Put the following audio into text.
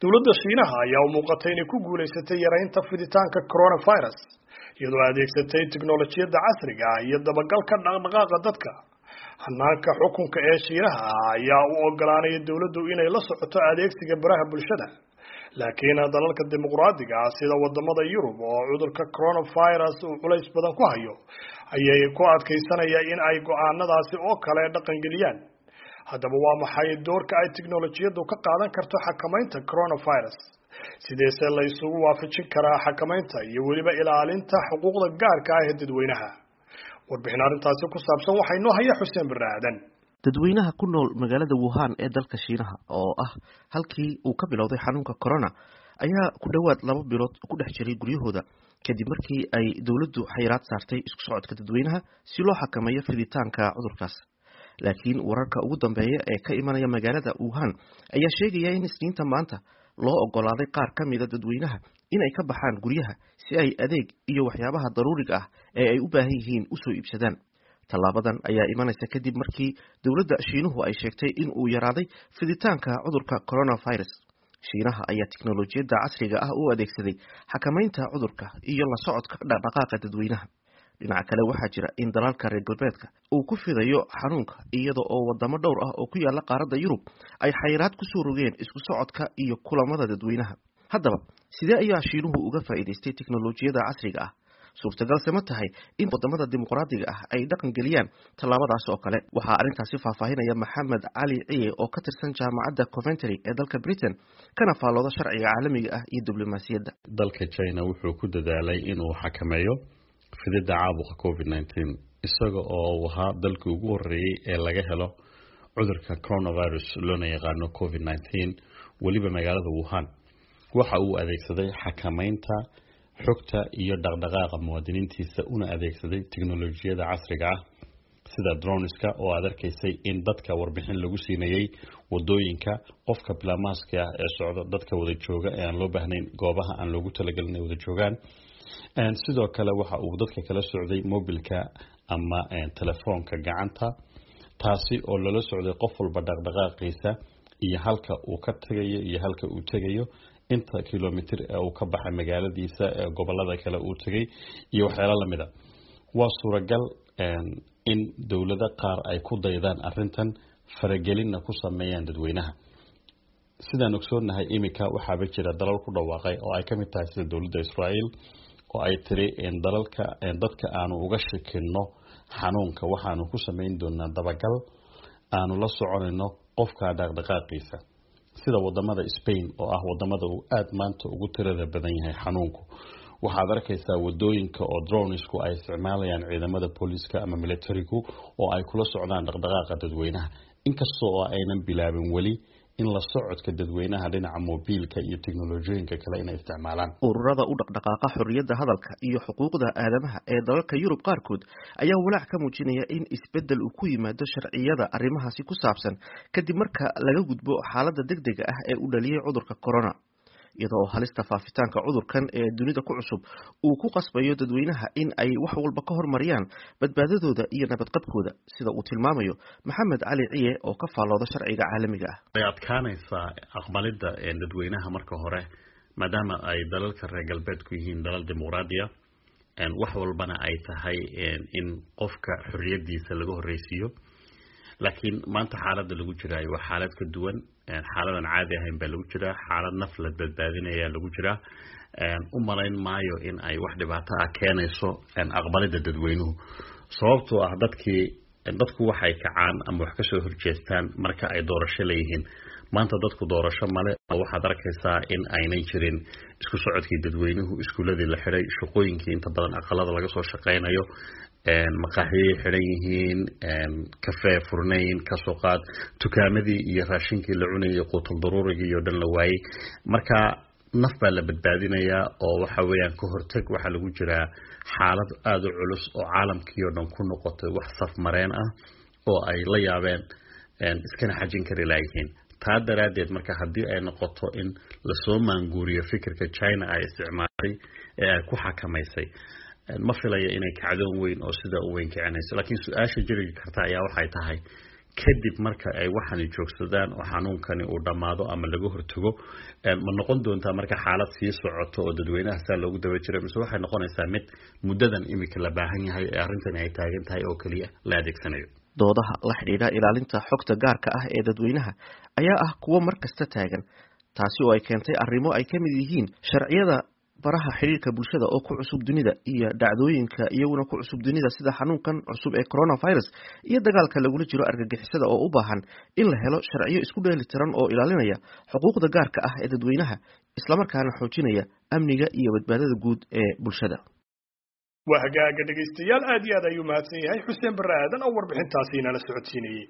Dowladda Shiinaha ayaa u muuqatay inay ku guulaysatay yaraynta fiditaanka coronavirus iyadoo adeegsatay tiknoolajiyadda casriga ah iyo dabagalka dhaqdhaqaaqa dadka. Hannaanka xukunka ee Shiinaha ayaa u oggolaanaya dowladdu inay la socoto adeegsiga baraha bulshada. Laakiin dalalka dimuqraadiga ah sida wadamada Yurub oo cudurka coronavirus uu culays badan ku hayo ayay ku adkaysanaya in ay go'aanadaasi oo kale dhaqangeliyaan. Haddaba waa maxay doorka ay tiknoolajiyaddu ka qaadan karto xakamaynta coronavirus? Sideese la isugu waafajin karaa xakamaynta iyo weliba ilaalinta xuquuqda gaarka ah ee dadweynaha? Warbixin arrintaasi ku saabsan waxaa inoo haya Xuseen Barre Aadan. Dadweynaha ku nool magaalada Wuhan ee dalka Shiinaha, oo ah halkii uu ka bilowday xanuunka corona, ayaa ku dhowaad 2 bilood ku dhex jiray guryahooda kadib markii ay dowladdu xayiraad saartay isku socodka dadweynaha si loo xakameeyo fiditaanka cudurkaas. Laakiin wararka ugu dambeeya ee ka imanaya magaalada Wuhan ayaa sheegaya in Isniinta maanta loo ogolaaday qaar ka mida dadweynaha in ay ka baxaan guryaha si ay adeeg iyo waxyaabaha daruuriga ah ee ay u baahan yihiin usoo iibsadaan. Tallaabadan ayaa imanaysa kadib markii dowladda Shiinuhu ay sheegtay in uu yaraaday fiditaanka cudurka coronavirus. Shiinaha ayaa tiknolojiyadda casriga ah u adeegsaday xakamaynta cudurka iyo la socodka dhaqdhaqaaqa dadweynaha. Dhinaca kale, waxaa jira in dalalka reer galbeedka uu ku fidayo xanuunka, iyada oo wadamo dhowr ah oo ku yaala qaaradda Yurub ay xayiraad kusoo rogeen isku socodka iyo kulamada dadweynaha. Haddaba, sidee ayaa Shiinuhu uga faa'iidaystay tiknolojiyadda casriga ah? Suurtagalse ma tahay in wadamada dimuqraadiga ah ay dhaqan geliyaan tallaabadaas oo kale? Waxaa arrintaasi faahfaahinaya Maxamed Cali Ciye oo ka tirsan Jaamacadda Coventry ee dalka Britain, kana faallooda sharciga caalamiga ah iyo diblomaasiyadda. Dalka China wuxuu ku dadaalay inuu xakameeyo fididda caabuqa COVID-19, isaga oo uu ahaa dalkii ugu horeeyey ee laga helo cudurka coronavirus loona yaqaano COVID-19, weliba magaalada Wuhan. Waxa uu adeegsaday xakameynta xogta iyo dhaqdhaqaaqa muwaadiniintiisa, una adeegsaday teknolojiyada casriga ah sida droneska, oo aad arkaysay in dadka warbixin lagu siinayay wadooyinka, qofka bilaa mask-ka ah ee socda, dadka wada jooga ee aan loo baahnayn, goobaha aan loogu talagelin ay wada joogaan. Sidoo kale waxa uu dadka kala socday mobilka ama telefoonka gacanta, taasi oo lala socday qof walba dhaqdhaqaaqiisa iyo halka uu ka tagayo iyo halka uu tegayo, inta kilomitir ee uu ka baxay magaaladiisa ee gobolada kale uu tegay iyo waxyaalo lamid a. Waa suuragal in dowlado qaar ay ku daydaan arintan, faragelinna ku sameeyaan dadweynaha. Sidaan ogsoonahay, iminka waxaaba jira dalal ku dhawaaqay, oo ay kamid tahay sida dowladda Israel, oo ay tiri dalalka dadka aanu uga shikino xanuunka waxaanu ku sameyn doonaa dabagal aanu la soconayno qofka dhaqdhaqaaqiisa, sida wadamada Spain oo ah wadamada uu aada maanta ugu tirada badan yahay xanuunku. Waxaad arkaysaa wadooyinka oo dronesku ay isticmaalayaan ciidamada booliiska ama militarigu, oo ay kula socdaan dhaqdhaqaaqa dadweynaha, inkasta oo aynan bilaabin weli in la socodka dadweynaha dhinaca mobiilka iyo teknolojiyooyinka kale inay isticmaalaan. Ururada u dhaqdhaqaaqa xorriyadda hadalka iyo xuquuqda aadamaha ee dalalka Yurub qaarkood ayaa walaac ka muujinaya in isbeddel uu ku yimaado sharciyada arrimahaasi ku saabsan kadib marka laga gudbo xaaladda degdega ah ee uu dhaliyay cudurka corona, iyada oo halista faafitaanka cudurkan ee dunida ku cusub uu ku qasbayo dadweynaha in ay wax walba ka hormariyaan badbaadadooda iyo nabadqabkooda, sida uu tilmaamayo Maxamed Cali Ciye oo ka faallooda sharciga caalamiga ah. Way adkaanaysaa aqbalidda dadweynaha marka hore, maadaama ay dalalka reer galbeedku yihiin dalal dimuqraadiya, wax walbana ay tahay in qofka xorriyadiisa laga horreysiiyo. Laakiin maanta xaaladda lagu jiraayo waa xaalad ka duwan, xaaladan caadi ahayn baa lagu jiraa, xaalad naf la badbaadinaya lagu jiraa. U malayn maayo in ay wax dhibaato ah keenayso aqbalidda dadweynuhu, sababtoo ah dadku waxay kacaan ama wax kasoo horjeestaan marka ay doorasho leeyihiin. Maanta dadku doorasho male. Waxaad arkaysaa in aynay jirin isku socodkii dadweynuhu, iskuuladii la xidhay, shaqooyinkii inta badan aqalada laga soo shaqeynayo, maqaaxiyay xidhan yihiin, kafee furnayn, kasoo qaad tukaamadii iyo raashinkii la cunayay, quutul daruurigii iyo dhan la waayey. Marka naf baa la badbaadinayaa, oo waxa weeyaan ka hortag. Waxaa lagu jiraa xaalad aada u culus oo caalamkii oo dhan ku noqotay wax safmareen ah oo ay la yaabeen iskana xajin kari laayihiin. Taa daraaddeed marka haddii ay noqoto in lasoo maanguuriyo fikirka China ay isticmaashay ee ay ku xakamaysay, ma filaya inay kacdoon weyn oo sidaa u weyn kicinayso. Laakiin su-aasha jiri karta ayaa waxay tahay Kadib marka ay waxani joogsadaan oo xanuunkani uu dhammaado ama laga hortago, ma noqon doontaa marka xaalad sii socoto oo dadweynaha saa loogu daba jiro, mise waxay noqonaysaa mid muddadan iminka la baahan yahay ee arrintani ay taagan tahay oo keliya la adeegsanayo? Doodaha la xidhiidha ilaalinta xogta gaarka ah ee dadweynaha ayaa ah kuwo mar kasta taagan, taasi oo ay keentay arrimo ay ka mid yihiin sharciyada baraha xidhiirka bulshada oo ku cusub dunida iyo dhacdooyinka iyaguna ku cusub dunida sida xanuunkan cusub ee coronavirus iyo dagaalka lagula jiro argagixisada oo u baahan in la helo sharciyo isku dheeli tiran oo ilaalinaya xuquuqda gaarka ah ee dadweynaha, islamarkaana xoojinaya amniga iyo badbaadada guud ee bulshada. Waa hagaaga dhegaystayaal, aad iyo aad ayuu mahadsan yahay Xuseen Barre Aadan oo warbixintaasi inala socodsiinayey.